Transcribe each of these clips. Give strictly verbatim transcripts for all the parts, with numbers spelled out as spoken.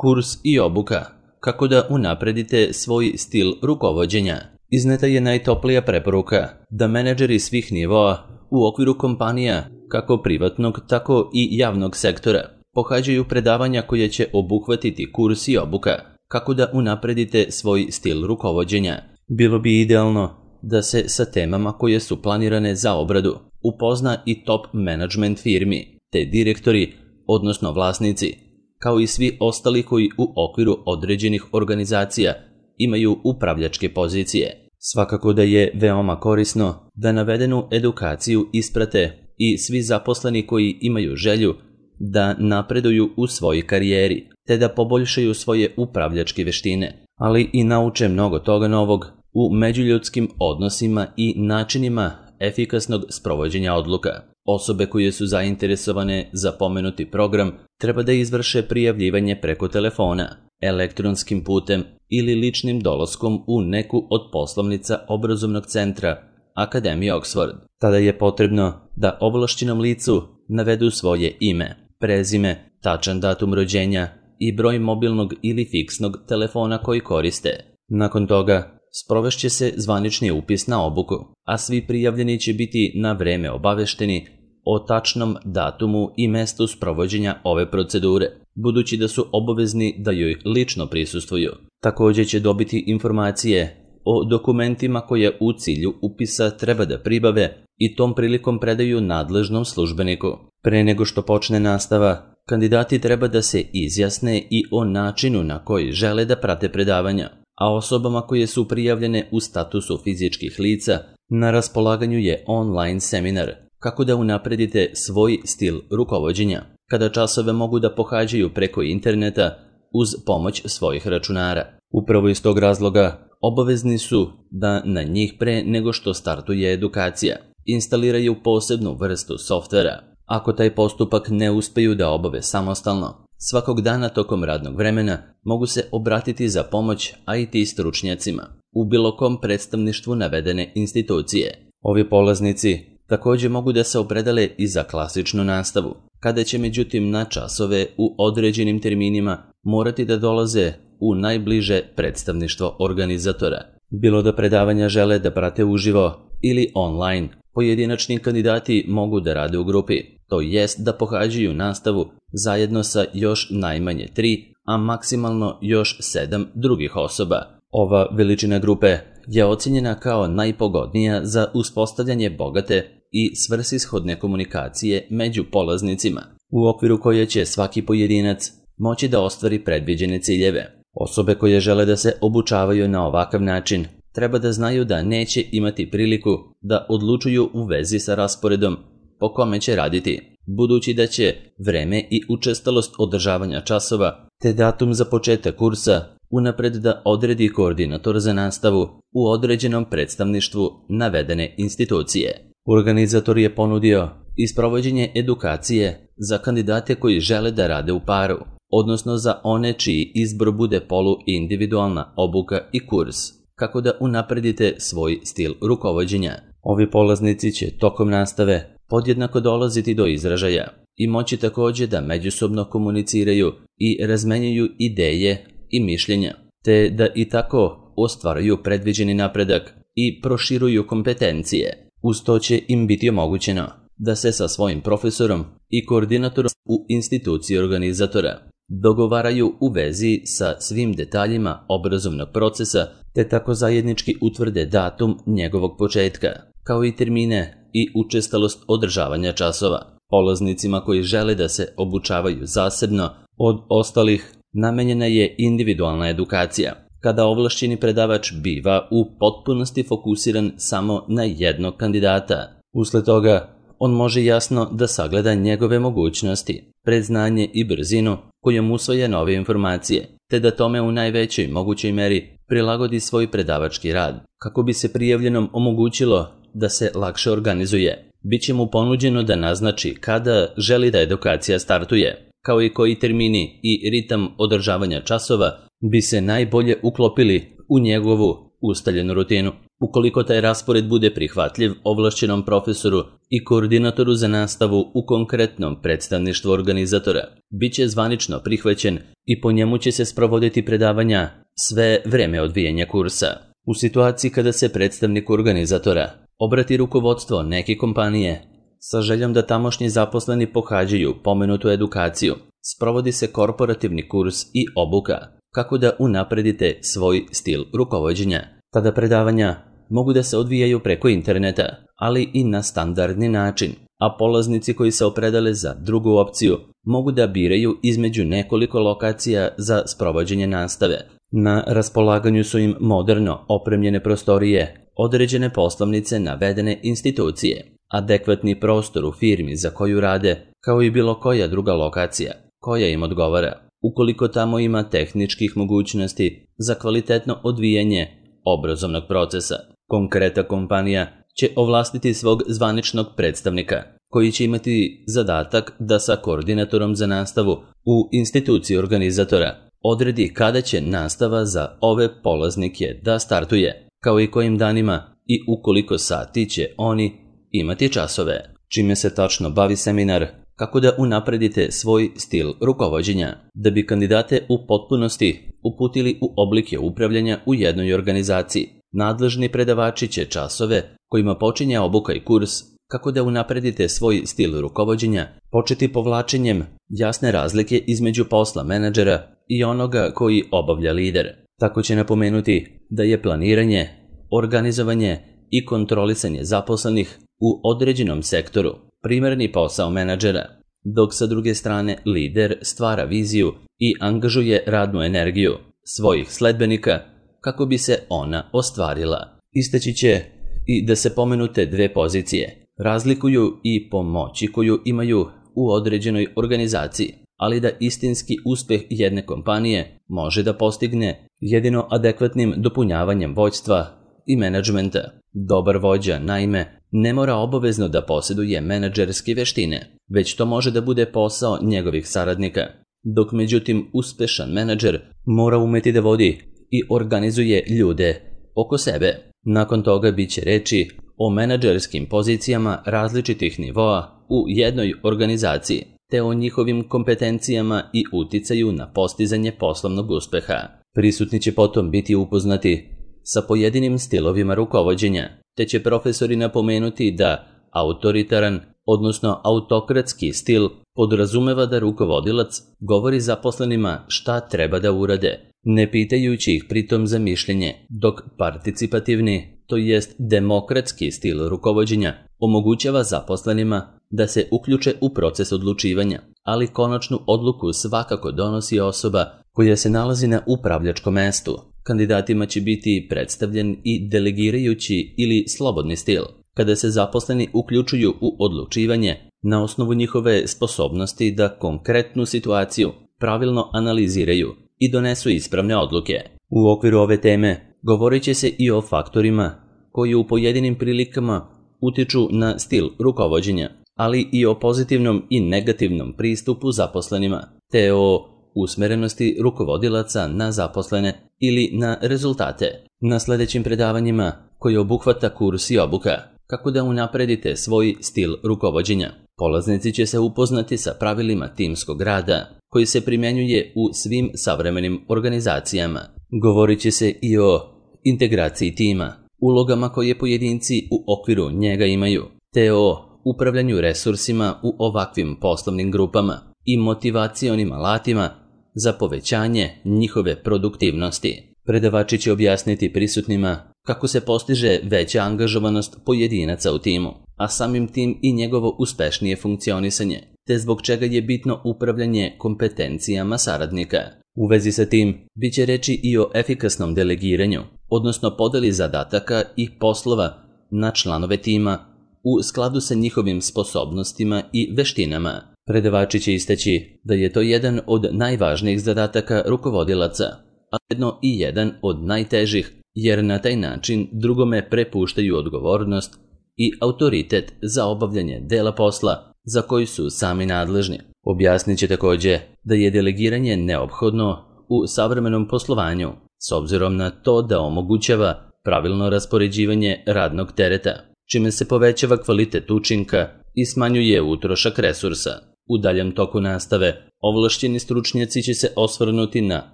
Kurs i obuka. Kako da unapredite svoj stil rukovođenja. Izneta je najtoplija preporuka da menadžeri svih nivoa u okviru kompanija, kako privatnog, tako i javnog sektora, pohađaju predavanja koje će obuhvatiti kurs i obuka. Kako da unapredite svoj stil rukovođenja. Bilo bi idealno da se sa temama koje su planirane za obradu upozna i top management firmi, te direktori, odnosno vlasnici, kao i svi ostali koji u okviru određenih organizacija imaju upravljačke pozicije. Svakako da je veoma korisno da navedenu edukaciju isprate i svi zaposleni koji imaju želju da napreduju u svojoj karijeri, te da poboljšaju svoje upravljačke veštine, ali i nauče mnogo toga novog u međuljudskim odnosima i načinima efikasnog sprovođenja odluka. Osobe koje su zainteresovane za pomenuti program treba da izvrše prijavljivanje preko telefona, elektronskim putem ili ličnim dolaskom u neku od poslovnica obrazovnog centra Akademije Oxford. Tada je potrebno da ovlašćenom licu navedu svoje ime, prezime, tačan datum rođenja i broj mobilnog ili fiksnog telefona koji koriste. Nakon toga sprovešće se zvanični upis na obuku, a svi prijavljeni će biti na vreme obavešteni o tačnom datumu i mestu sprovođenja ove procedure, budući da su obavezni da joj lično prisustvuju. Također će dobiti informacije o dokumentima koje u cilju upisa treba da pribave i tom prilikom predaju nadležnom službeniku. Pre nego što počne nastava, kandidati treba da se izjasne i o načinu na koji žele da prate predavanja, a osobama koje su prijavljene u statusu fizičkih lica na raspolaganju je online seminar kako da unapredite svoj stil rukovođenja, kada časove mogu da pohađaju preko interneta uz pomoć svojih računara. Upravo iz tog razloga obavezni su da na njih pre nego što startuje edukacija instaliraju posebnu vrstu softvera. Ako taj postupak ne uspeju da obave samostalno, svakog dana tokom radnog vremena mogu se obratiti za pomoć I T stručnjacima u bilo kom predstavništvu navedene institucije. Ovi polaznici također mogu da se opredele i za klasičnu nastavu, kada će međutim na časove u određenim terminima morati da dolaze u najbliže predstavništvo organizatora. Bilo da predavanja žele da prate uživo ili online, pojedinačni kandidati mogu da rade u grupi, to jest da pohađaju nastavu zajedno sa još najmanje tri, a maksimalno još sedam drugih osoba. Ova veličina grupe je ocjenjena kao najpogodnija za uspostavljanje bogate i svrsishodne komunikacije među polaznicima, u okviru koje će svaki pojedinac moći da ostvari predviđene ciljeve. Osobe koje žele da se obučavaju na ovakav način treba da znaju da neće imati priliku da odlučuju u vezi sa rasporedom po kome će raditi, budući da će vreme i učestalost održavanja časova te datum za početak kursa unapred da odredi koordinator za nastavu u određenom predstavništvu navedene institucije. Organizator je ponudio i sprovođenje edukacije za kandidate koji žele da rade u paru, odnosno za one čiji izbor bude polu-individualna obuka i kurs, kako da unapredite svoj stil rukovođenja. Ovi polaznici će tokom nastave podjednako dolaziti do izražaja i moći također da međusobno komuniciraju i razmenjuju ideje i mišljenja, te da i tako ostvaruju predviđeni napredak i proširuju kompetencije. Uz to će im biti omogućeno da se sa svojim profesorom i koordinatorom u instituciji organizatora dogovaraju u vezi sa svim detaljima obrazovnog procesa, te tako zajednički utvrde datum njegovog početka, kao i termine i učestalost održavanja časova. Polaznicima koji žele da se obučavaju zasebno od ostalih namenjena je individualna edukacija, kada ovlašćeni predavač biva u potpunosti fokusiran samo na jednog kandidata. Usled toga, on može jasno da sagleda njegove mogućnosti, predznanje i brzinu kojom usvaja nove informacije, te da tome u najvećoj mogućoj meri prilagodi svoj predavački rad. Kako bi se prijavljenom omogućilo da se lakše organizuje, bit će mu ponuđeno da naznači kada želi da edukacija startuje, kao i koji termini i ritam održavanja časova bi se najbolje uklopili u njegovu ustaljenu rutinu. Ukoliko taj raspored bude prihvatljiv ovlašćenom profesoru i koordinatoru za nastavu u konkretnom predstavništvu organizatora, bit će zvanično prihvaćen i po njemu će se sprovoditi predavanja sve vreme odvijanja kursa. U situaciji kada se predstavnik organizatora obrati rukovodstvo neke kompanije sa željom da tamošnji zaposleni pohađaju pomenutu edukaciju, sprovodi se korporativni kurs i obuka kako da unapredite svoj stil rukovođenja. Tada predavanja mogu da se odvijaju preko interneta, ali i na standardni način, a polaznici koji se opredele za drugu opciju mogu da biraju između nekoliko lokacija za sprovođenje nastave. Na raspolaganju su im moderno opremljene prostorije, određene poslovnice navedene institucije, adekvatni prostor u firmi za koju rade, kao i bilo koja druga lokacija koja im odgovara, ukoliko tamo ima tehničkih mogućnosti za kvalitetno odvijanje obrazovnog procesa. Konkretna kompanija će ovlastiti svog zvaničnog predstavnika, koji će imati zadatak da sa koordinatorom za nastavu u instituciji organizatora odredi kada će nastava za ove polaznike da startuje, kao i kojim danima i u koliko sati će oni imati časove. Čime se tačno bavi seminar, kako da unapredite svoj stil rukovođenja, da bi kandidate u potpunosti uputili u oblike upravljanja u jednoj organizaciji. Nadležni predavači će časove kojima počinje obuka i kurs kako da unapredite svoj stil rukovođenja početi povlačenjem jasne razlike između posla menadžera i onoga koji obavlja lider. Tako će napomenuti da je planiranje, organizovanje i kontrolisanje zaposlenih u određenom sektoru primarni posao menadžera, dok sa druge strane lider stvara viziju i angažuje radnu energiju svojih sledbenika kako bi se ona ostvarila. Istaći će i da se pomenute dve pozicije razlikuju i po moći koju imaju u određenoj organizaciji, ali da istinski uspeh jedne kompanije može da postigne jedino adekvatnim dopunjavanjem vođstva i menadžmenta. Dobar vođa, naime, ne mora obavezno da posjeduje menadžerske veštine, već to može da bude posao njegovih saradnika, dok međutim uspešan menadžer mora umeti da vodi i organizuje ljude oko sebe. Nakon toga bit će reči o menadžerskim pozicijama različitih nivoa u jednoj organizaciji, te o njihovim kompetencijama i uticaju na postizanje poslovnog uspeha. Prisutni će potom biti upoznati sa pojedinim stilovima rukovođenja, te će profesori napomenuti da autoritaran, odnosno autokratski stil podrazumeva da rukovodilac govori zaposlenima šta treba da urade, ne pitajući ih pritom za mišljenje, dok participativni, to jest demokratski stil rukovođenja, omogućava zaposlenima da se uključe u proces odlučivanja, ali konačnu odluku svakako donosi osoba koja se nalazi na upravljačkom mestu. Kandidatima će biti predstavljen i delegirajući ili slobodni stil, kada se zaposleni uključuju u odlučivanje na osnovu njihove sposobnosti da konkretnu situaciju pravilno analiziraju i donesu ispravne odluke. U okviru ove teme govorit će se i o faktorima koji u pojedinim prilikama utiču na stil rukovođenja, ali i o pozitivnom i negativnom pristupu zaposlenima, te o usmerenosti rukovodilaca na zaposlene ili na rezultate. Na sljedećim predavanjima, koji obuhvata kurs i obuka, kako da unapredite svoj stil rukovođenja, polaznici će se upoznati sa pravilima timskog rada, koji se primjenjuje u svim savremenim organizacijama. Govorit će se i o integraciji tima, ulogama koje pojedinci u okviru njega imaju, te o upravljanju resursima u ovakvim poslovnim grupama i motivacionim alatima za povećanje njihove produktivnosti. Predavači će objasniti prisutnima kako se postiže veća angažovanost pojedinaca u timu, a samim tim i njegovo uspešnije funkcionisanje, te zbog čega je bitno upravljanje kompetencijama saradnika. U vezi sa tim, bit će reči i o efikasnom delegiranju, odnosno podeli zadataka i poslova na članove tima u skladu sa njihovim sposobnostima i veštinama. Predavači će istaći da je to jedan od najvažnijih zadataka rukovodilaca, a jedno i jedan od najtežih, jer na taj način drugome prepuštaju odgovornost i autoritet za obavljanje dela posla za koji su sami nadležni. Objasnit će također da je delegiranje neophodno u savremenom poslovanju, s obzirom na to da omogućava pravilno raspoređivanje radnog tereta, čime se povećava kvalitet učinka i smanjuje utrošak resursa. U daljem toku nastave, ovlašćeni stručnjaci će se osvrnuti na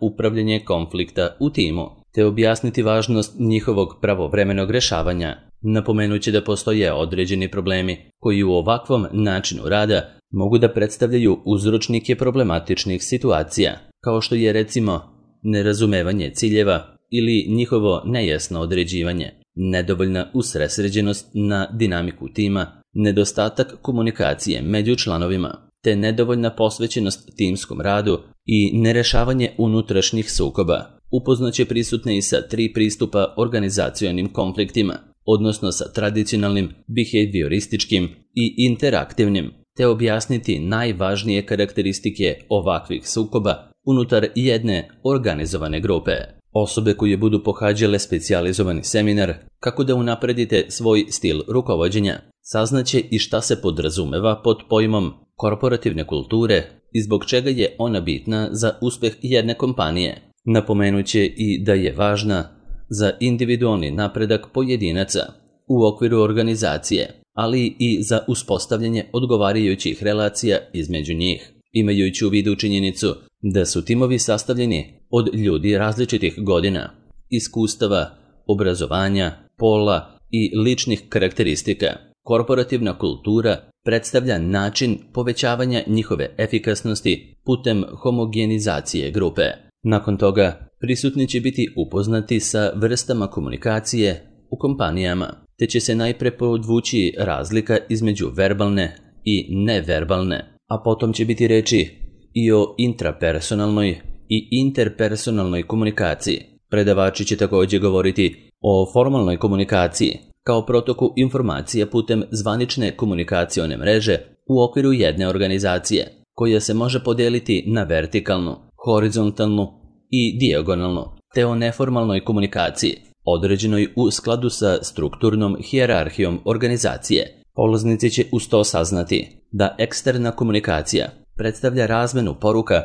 upravljanje konflikta u timu, te objasniti važnost njihovog pravovremenog rešavanja. Napomenuće da postoje određeni problemi koji u ovakvom načinu rada mogu da predstavljaju uzročnike problematičnih situacija, kao što je recimo nerazumevanje ciljeva ili njihovo nejasno određivanje, nedovoljna usredsređenost na dinamiku tima, nedostatak komunikacije među članovima, te nedovoljna posvećenost timskom radu i nerešavanje unutrašnjih sukoba. Upoznaće prisutne i sa tri pristupa organizacionim konfliktima, odnosno sa tradicionalnim, behaviorističkim i interaktivnim, te objasniti najvažnije karakteristike ovakvih sukoba unutar jedne organizovane grupe. Osobe koje budu pohađale specijalizovani seminar kako da unapredite svoj stil rukovođenja, saznaće i šta se podrazumeva pod pojmom korporativne kulture i zbog čega je ona bitna za uspeh jedne kompanije. Napomenuće i da je važna za individualni napredak pojedinaca u okviru organizacije, ali i za uspostavljanje odgovarajućih relacija između njih, imajući u vidu činjenicu da su timovi sastavljeni od ljudi različitih godina, iskustava, obrazovanja, pola i ličnih karakteristika. Korporativna kultura predstavlja način povećavanja njihove efikasnosti putem homogenizacije grupe. Nakon toga, prisutni će biti upoznati sa vrstama komunikacije u kompanijama, te će se najpre podvući razlika između verbalne i neverbalne, a potom će biti reči i o intrapersonalnoj i interpersonalnoj komunikaciji. Predavači će također govoriti o formalnoj komunikaciji kao protoku informacija putem zvanične komunikacione mreže u okviru jedne organizacije, koja se može podeliti na vertikalnu, horizontalnu i dijagonalnu, te o neformalnoj komunikaciji, određenoj u skladu sa strukturnom hijerarhijom organizacije. Polaznici će uz to saznati da eksterna komunikacija predstavlja razmenu poruka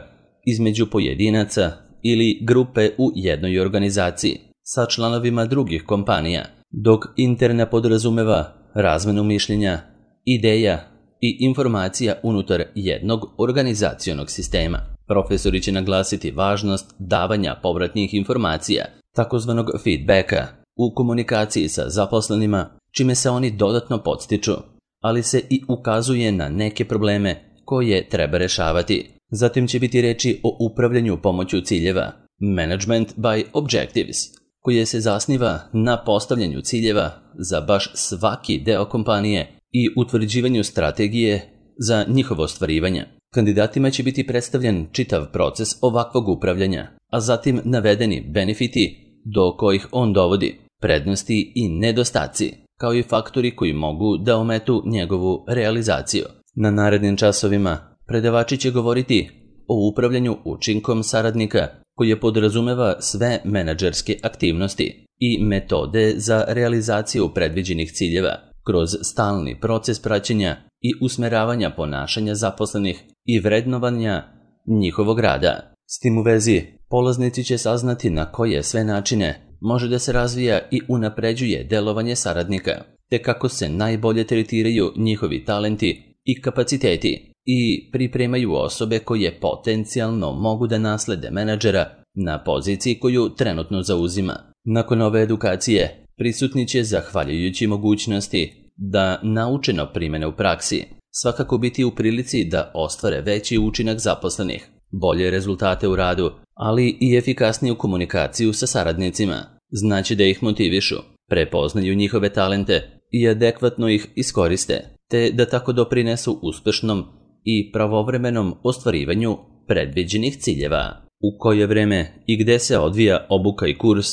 između pojedinaca ili grupe u jednoj organizaciji sa članovima drugih kompanija, dok interna podrazumeva razmenu mišljenja, ideja i informacija unutar jednog organizacionog sistema. Profesori će naglasiti važnost davanja povratnih informacija, takozvanog feedbacka, u komunikaciji sa zaposlenima, čime se oni dodatno podstiču, ali se i ukazuje na neke probleme koje treba rešavati. Zatim će biti reči o upravljanju pomoću ciljeva, management by objectives, koje se zasniva na postavljanju ciljeva za baš svaki deo kompanije i utvrđivanju strategije za njihovo ostvarivanje. Kandidatima će biti predstavljen čitav proces ovakvog upravljanja, a zatim navedeni benefiti do kojih on dovodi, prednosti i nedostaci, kao i faktori koji mogu da ometu njegovu realizaciju. Na narednim časovima predavači će govoriti o upravljanju učinkom saradnika, koje podrazumeva sve menadžerske aktivnosti i metode za realizaciju predviđenih ciljeva kroz stalni proces praćenja i usmeravanja ponašanja zaposlenih i vrednovanja njihovog rada. S tim u vezi, polaznici će saznati na koje sve načine može da se razvija i unapređuje delovanje saradnika, te kako se najbolje tretiraju njihovi talenti i kapaciteti i pripremaju osobe koje potencijalno mogu da naslede menadžera na poziciji koju trenutno zauzima. Nakon ove edukacije, prisutni će, zahvaljujući mogućnosti da naučeno primene u praksi, svakako biti u prilici da ostvare veći učinak zaposlenih, bolje rezultate u radu, ali i efikasniju komunikaciju sa saradnicima. Znači da ih motivišu, prepoznaju njihove talente i adekvatno ih iskoriste, te da tako doprinesu uspešnom i pravovremenom ostvarivanju predviđenih ciljeva. U koje vreme i gde se odvija obuka i kurs,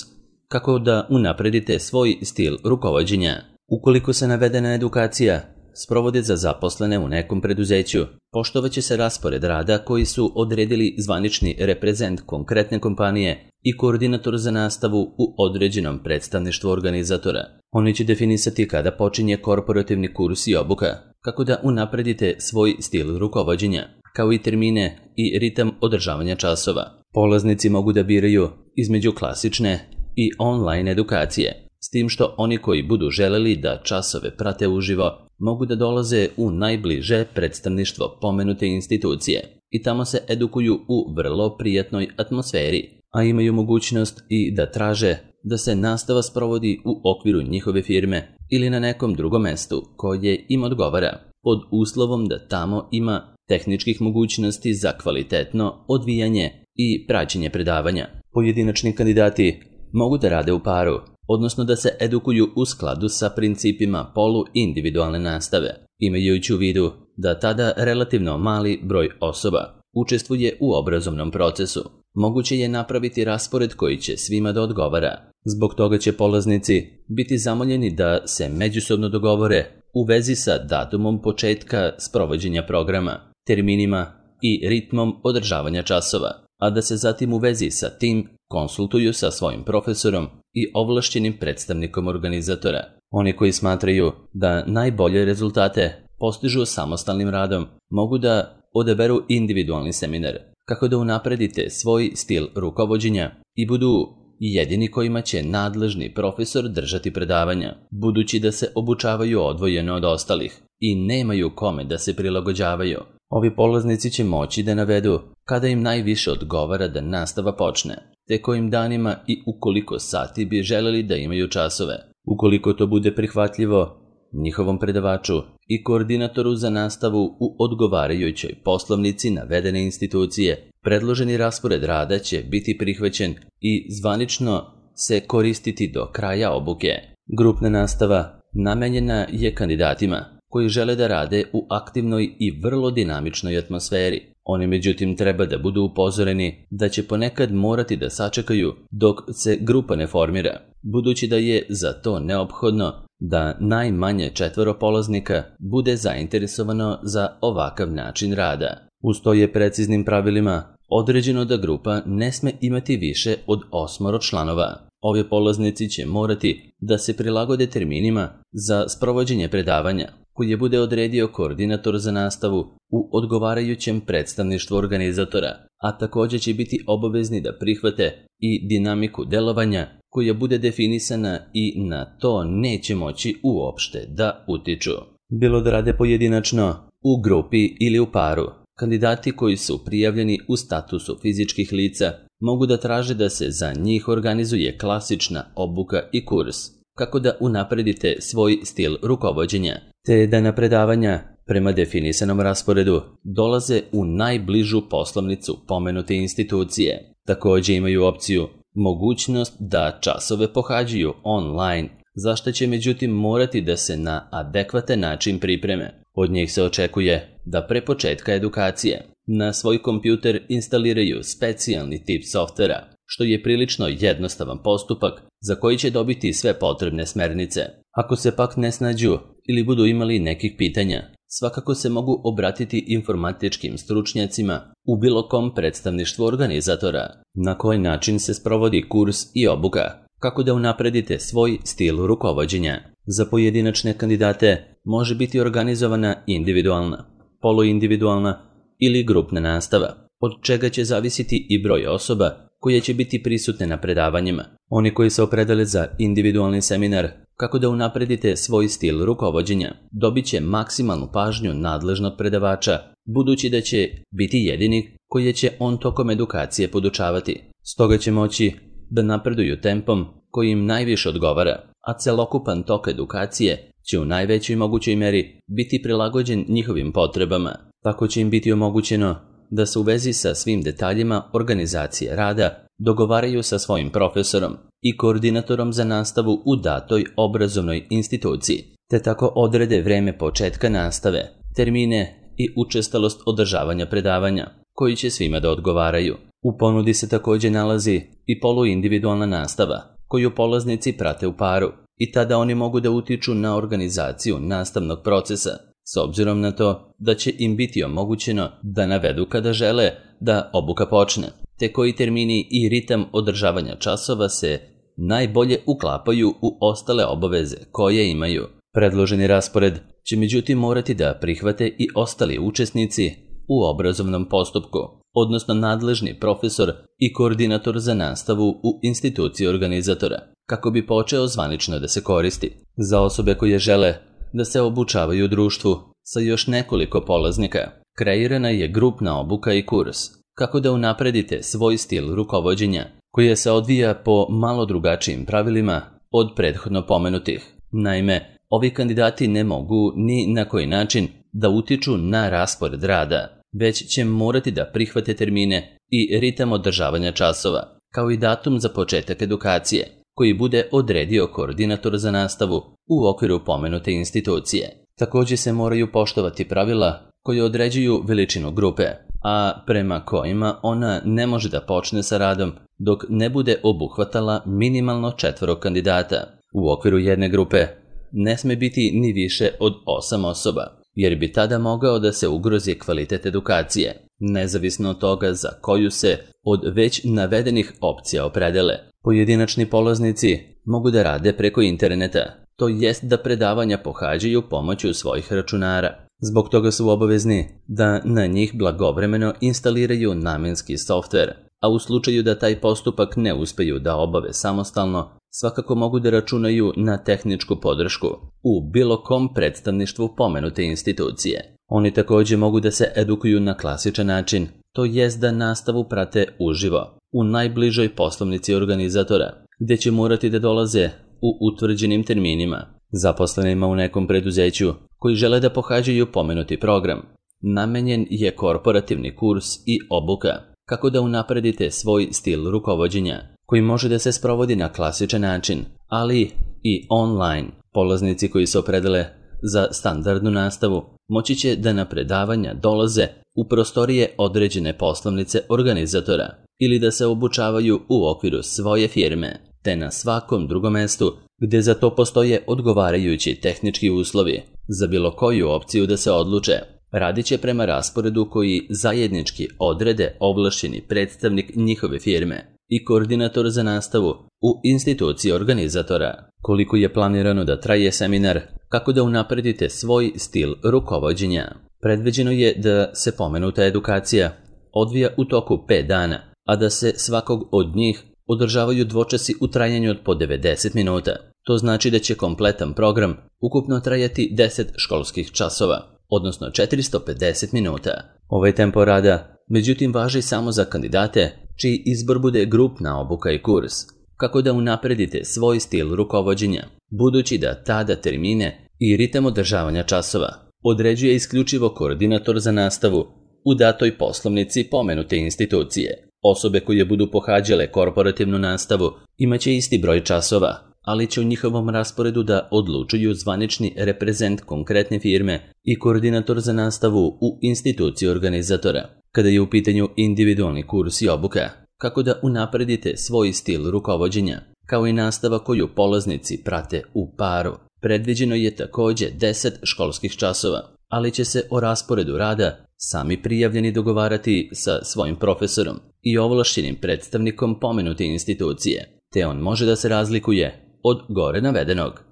kako da unapredite svoj stil rukovođenja. Ukoliko se navedena edukacija sprovodi za zaposlene u nekom preduzeću, poštovaće se raspored rada koji su odredili zvanični reprezent konkretne kompanije i koordinator za nastavu u određenom predstavništvu organizatora. Oni će definisati kada počinje korporativni kurs i obuka, kako da unapredite svoj stil rukovođenja, kao i termine i ritam održavanja časova. Polaznici mogu da biraju između klasične i online edukacije, s tim što oni koji budu želeli da časove prate uživo mogu da dolaze u najbliže predstavništvo pomenute institucije i tamo se edukuju u vrlo prijatnoj atmosferi, a imaju mogućnost i da traže da se nastava sprovodi u okviru njihove firme ili na nekom drugom mestu koje im odgovara, pod uslovom da tamo ima tehničkih mogućnosti za kvalitetno odvijanje i praćenje predavanja. Pojedinačni kandidati mogu da rade u paru, odnosno da se edukuju u skladu sa principima polu-individualne nastave, imajući u vidu da tada relativno mali broj osoba učestvuje u obrazovnom procesu. Moguće je napraviti raspored koji će svima da odgovara. Zbog toga će polaznici biti zamoljeni da se međusobno dogovore u vezi sa datumom početka sprovođenja programa, terminima i ritmom održavanja časova, a da se zatim u vezi sa tim konsultuju sa svojim profesorom i ovlašćenim predstavnikom organizatora. Oni koji smatraju da najbolje rezultate postižu samostalnim radom mogu da odaberu individualni seminar, kako da unapredite svoj stil rukovođenja i budu jedini kojima će nadležni profesor držati predavanja, budući da se obučavaju odvojeno od ostalih i nemaju kome da se prilagođavaju. Ovi polaznici će moći da navedu kada im najviše odgovara da nastava počne, te kojim danima i u koliko sati bi želeli da imaju časove. Ukoliko to bude prihvatljivo njihovom predavaču i koordinatoru za nastavu u odgovarajućoj poslovnici navedene institucije, predloženi raspored rada će biti prihvaćen i zvanično se koristiti do kraja obuke. Grupna nastava namenjena je kandidatima koji žele da rade u aktivnoj i vrlo dinamičnoj atmosferi. Oni međutim treba da budu upozoreni da će ponekad morati da sačekaju dok se grupa ne formira, budući da je za to neophodno da najmanje četvoro polaznika bude zainteresovano za ovakav način rada. Uz to je preciznim pravilima određeno da grupa ne sme imati više od osmoro članova. Ovi polaznici će morati da se prilagode terminima za sprovođenje predavanja koje bude odredio koordinator za nastavu u odgovarajućem predstavništvu organizatora, a također će biti obavezni da prihvate i dinamiku delovanja koja bude definisana i na to neće moći uopšte da utiču. Bilo da rade pojedinačno, u grupi ili u paru, kandidati koji su prijavljeni u statusu fizičkih lica mogu da traže da se za njih organizuje klasična obuka i kurs, kako da unapredite svoj stil rukovođenja, te da na predavanja prema definisanom rasporedu dolaze u najbližu poslovnicu pomenute institucije. Također imaju opciju mogućnost da časove pohađaju online, za što će međutim morati da se na adekvatan način pripreme. Od njih se očekuje da pre početka edukacije na svoj kompjuter instaliraju specijalni tip softvera, što je prilično jednostavan postupak za koji će dobiti sve potrebne smernice. Ako se pak ne snađu ili budu imali nekih pitanja, svakako se mogu obratiti informatičkim stručnjacima u bilo kom predstavništvu organizatora. Na koji način se sprovodi kurs i obuka, kako da unapredite svoj stil rukovođenja. Za pojedinačne kandidate može biti organizovana individualna, poluindividualna ili grupna nastava, od čega će zavisiti i broj osoba koje će biti prisutne na predavanjima. Oni koji se opredele za individualni seminar, kako da unapredite svoj stil rukovođenja, dobit će maksimalnu pažnju nadležnog predavača, budući da će biti jedini koji će on tokom edukacije podučavati. Stoga će moći da napreduju tempom koji im najviše odgovara, a celokupan tok edukacije će u najvećoj mogućoj meri biti prilagođen njihovim potrebama. Tako će im biti omogućeno da se u vezi sa svim detaljima organizacije rada dogovaraju sa svojim profesorom i koordinatorom za nastavu u datoj obrazovnoj instituciji, te tako odrede vreme početka nastave, termine i učestalost održavanja predavanja, koji će svima da odgovaraju. U ponudi se također nalazi i poluindividualna nastava, koju polaznici prate u paru, i tada oni mogu da utiču na organizaciju nastavnog procesa, s obzirom na to da će im biti omogućeno da navedu kada žele da obuka počne, te koji termini i ritam održavanja časova se najbolje uklapaju u ostale obaveze koje imaju. Predloženi raspored će međutim morati da prihvate i ostali učesnici u obrazovnom postupku, odnosno nadležni profesor i koordinator za nastavu u instituciji organizatora, kako bi počeo zvanično da se koristi. Za osobe koje žele da se obučavaju u društvu sa još nekoliko polaznika, kreirana je grupna obuka i kurs kako da unapredite svoj stil rukovođenja koji se odvija po malo drugačijim pravilima od prethodno pomenutih. Naime, ovi kandidati ne mogu ni na koji način da utiču na raspored rada, već će morati da prihvate termine i ritam održavanja časova, kao i datum za početak edukacije, koji bude odredio koordinator za nastavu u okviru pomenute institucije. Također se moraju poštovati pravila koje određuju veličinu grupe, a prema kojima ona ne može da počne sa radom dok ne bude obuhvatala minimalno četvoro kandidata. U okviru jedne grupe ne sme biti ni više od osam osoba, jer bi tada mogao da se ugrozi kvalitet edukacije, nezavisno od toga za koju se od već navedenih opcija opredele. Pojedinačni polaznici mogu da rade preko interneta, to jest da predavanja pohađaju pomoću svojih računara. Zbog toga su obavezni da na njih blagovremeno instaliraju namenski softver, a u slučaju da taj postupak ne uspeju da obave samostalno, svakako mogu da računaju na tehničku podršku u bilo kom predstavništvu pomenute institucije. Oni također mogu da se edukuju na klasičan način, to jest da nastavu prate uživo, u najbližoj poslovnici organizatora, gdje će morati da dolaze u utvrđenim terminima. Zaposlenima u nekom preduzeću koji žele da pohađaju pomenuti program, namenjen je korporativni kurs i obuka kako da unapredite svoj stil rukovođenja, koji može da se sprovodi na klasičan način, ali i online. Polaznici koji se opredele za standardnu nastavu moći će da na predavanja dolaze u prostorije određene poslovnice organizatora ili da se obučavaju u okviru svoje firme, te na svakom drugom mestu gdje za to postoje odgovarajući tehnički uslovi za bilo koju opciju da se odluče. Radit će prema rasporedu koji zajednički odrede ovlašćeni predstavnik njihove firme i koordinator za nastavu u instituciji organizatora. Koliko je planirano da traje seminar, kako da unapredite svoj stil rukovođenja? Predviđeno je da se pomenuta edukacija odvija u toku pet dana, a da se svakog od njih održavaju dvočasi u trajanju od po devedeset minuta. To znači da će kompletan program ukupno trajati deset školskih časova, odnosno četiristo pedeset minuta. Ovaj tempo rada, međutim, važi samo za kandidate čiji izbor bude grupna obuka i kurs, kako da unapredite svoj stil rukovođenja, budući da tada termine i ritam održavanja časova određuje isključivo koordinator za nastavu u datoj poslovnici pomenute institucije. Osobe koje budu pohađale korporativnu nastavu imaće isti broj časova, ali će u njihovom rasporedu da odlučuju zvanični reprezent konkretne firme i koordinator za nastavu u instituciji organizatora. Kada je u pitanju individualni kurs i obuka, kako da unapredite svoj stil rukovođenja, kao i nastava koju polaznici prate u paru, predviđeno je također deset školskih časova, ali će se o rasporedu rada sami prijavljeni dogovarati sa svojim profesorom i ovlašćenim predstavnikom pomenute institucije, te on može da se razlikuje od gore navedenog.